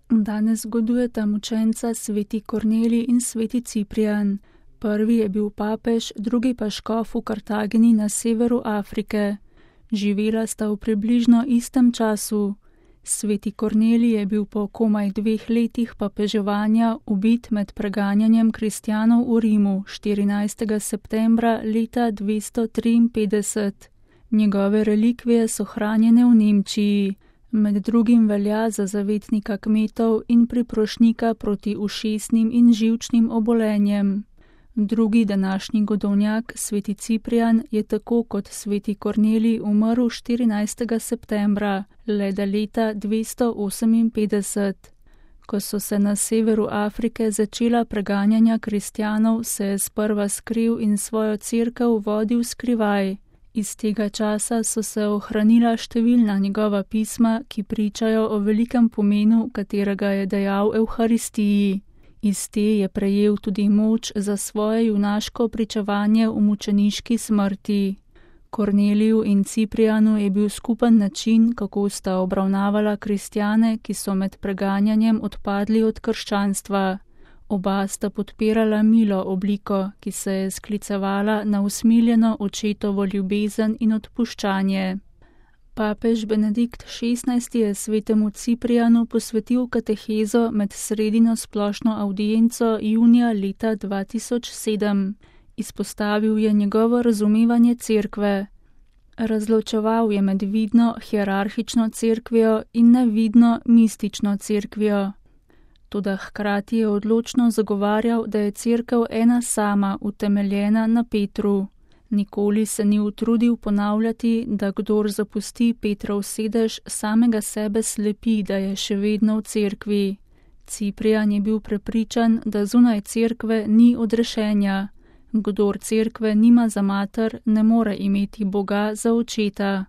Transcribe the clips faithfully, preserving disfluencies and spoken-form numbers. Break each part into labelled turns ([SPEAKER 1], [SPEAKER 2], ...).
[SPEAKER 1] Danes zgodujeta mučenca sveti Kornelij in sveti Ciprijan. Prvi je bil papež, drugi pa škof v Kartagini na severu Afrike. Živela sta v približno istem času. Sveti Kornelij je bil po komaj dveh letih papeževanja ubit med preganjanjem kristjanov v Rimu štirinajstega septembra leta dvesto triinpetdeset. Njegove relikvije so hranjene v Nemčiji. Med drugim velja za zavetnika kmetov in priprošnika proti ušesnim in živčnim obolenjem. Drugi današnji godovnjak, sveti Ciprijan, je tako kot sveti Kornelij umrl štirinajstega septembra, leda leta dvesto oseminpetdeset. Ko so se na severu Afrike začela preganjanja kristjanov, se je sprva skril in svojo cerkev vodil skrivaj. Iz tega časa so se ohranila številna njegova pisma, ki pričajo o velikem pomenu, katerega je dejal Evharistiji. Iz te je prejel tudi moč za svoje junaško pričevanje v mučeniški smrti. Korneliju in Ciprijanu je bil skupen način, kako sta obravnavala kristjane, ki so med preganjanjem odpadli od krščanstva. Oba sta podpirala milo obliko, ki se je sklicevala na usmiljeno očetovo ljubezen in odpuščanje. Papež Benedikt šestnajsti je svetemu Ciprijanu posvetil katehezo med sredino splošno avdienco junija leta dva tisoč sedem. Izpostavil je njegovo razumevanje cerkve. Razločeval je med vidno hierarhično cerkvijo in nevidno mistično cerkvijo. Toda hkrati je odločno zagovarjal, da je cerkev ena sama, utemeljena na Petru. Nikoli se ni utrudil ponavljati, da kdor zapusti Petrov sedež, samega sebe slepi, da je še vedno v cerkvi. Ciprijan je bil prepričan, da zunaj cerkve ni odrešenja. Kdor cerkve nima za mater, ne more imeti Boga za očeta.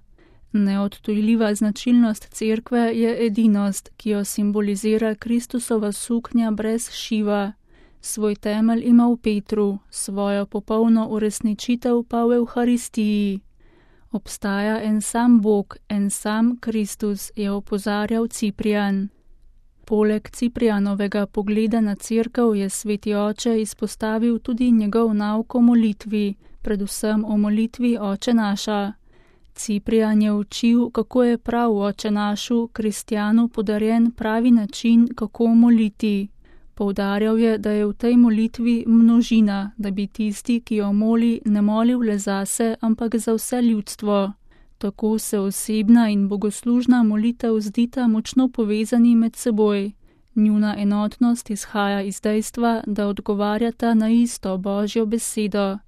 [SPEAKER 1] Neodtujljiva značilnost cerkve je edinost, ki jo simbolizira Kristusova suknja brez šiva. Svoj temelj ima v Petru, svojo popolno uresničitev pa v Evharistiji. Obstaja en sam Bog, en sam Kristus, je opozarjal Ciprijan. Poleg Ciprijanovega pogleda na cerkev je sveti oče izpostavil tudi njegov nauk o molitvi, predvsem o molitvi Oče naša. Ciprijan je učil, kako je prav v Oče našu kristjanu podarjen pravi način, kako moliti. Poudarjal je, da je v tej molitvi množina, da bi tisti, ki jo moli, ne molil le zase, ampak za vse ljudstvo. Tako se osebna in bogoslužna molitev zdita močno povezani med seboj. Njuna enotnost izhaja iz dejstva, da odgovarjata na isto Božjo besedo.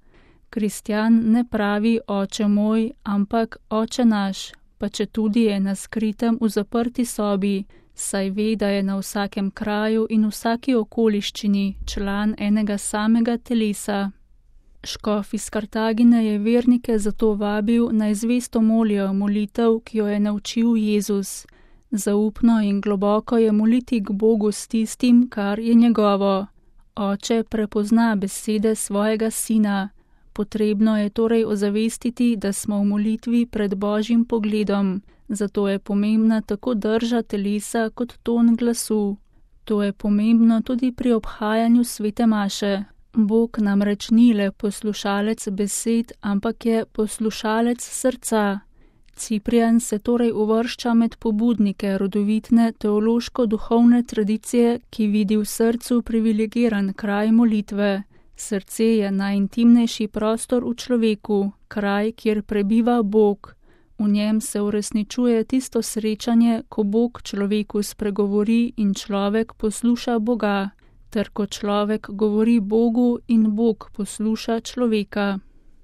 [SPEAKER 1] Kristjan ne pravi Oče moj, ampak Oče naš, pa četudi je na skritem v zaprti sobi, saj ve, da je na vsakem kraju in vsaki okoliščini član enega samega telesa. Škof iz Kartagine je vernike zato vabil, naj zvesto molijo molitev, ki jo je naučil Jezus. Zaupno in globoko je moliti k Bogu s tistim, kar je njegovo. Oče prepozna besede svojega sina. Potrebno je torej ozavestiti, da smo v molitvi pred Božjim pogledom, zato je pomembna tako drža telesa kot ton glasu. To je pomembno tudi pri obhajanju svete maše. Bog namreč ni le poslušalec besed, ampak je poslušalec srca. Ciprijan se torej uvršča med pobudnike rodovitne teološko-duhovne tradicije, ki vidi v srcu privilegiran kraj molitve. Srce je najintimnejši prostor v človeku, kraj, kjer prebiva Bog. V njem se uresničuje tisto srečanje, ko Bog človeku spregovori in človek posluša Boga, ter ko človek govori Bogu in Bog posluša človeka.